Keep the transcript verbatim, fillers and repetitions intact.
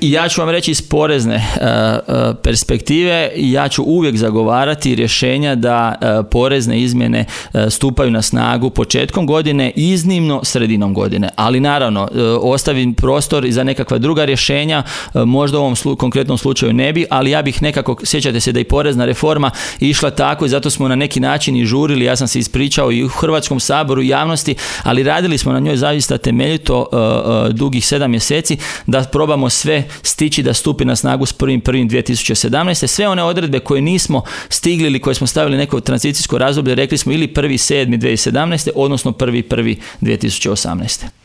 I ja ću vam reći iz porezne uh, uh, perspektive, ja ću uvijek zagovarati rješenja da uh, porezne izmjene uh, stupaju na snagu početkom godine, iznimno sredinom godine. Ali naravno, uh, ostavim prostor i za nekakva druga rješenja, uh, možda u ovom slu- konkretnom slučaju ne bi, ali ja bih nekako, sjećate se da i porezna reforma išla tako i zato smo na neki način i žurili, ja sam se ispričao i u Hrvatskom saboru i javnosti, ali radili smo na njoj zaista temeljito uh, uh, dugih sedam mjeseci da probamo sve stići da stupi na snagu s prvim prvim dvije tisuće sedamnaeste. Sve one odredbe koje nismo stigli ili koje smo stavili neko tranzicijsko razdoblje, rekli smo ili prvi sedmi dvije tisuće sedamnaeste, odnosno prvi prvi dvije tisuće osamnaeste.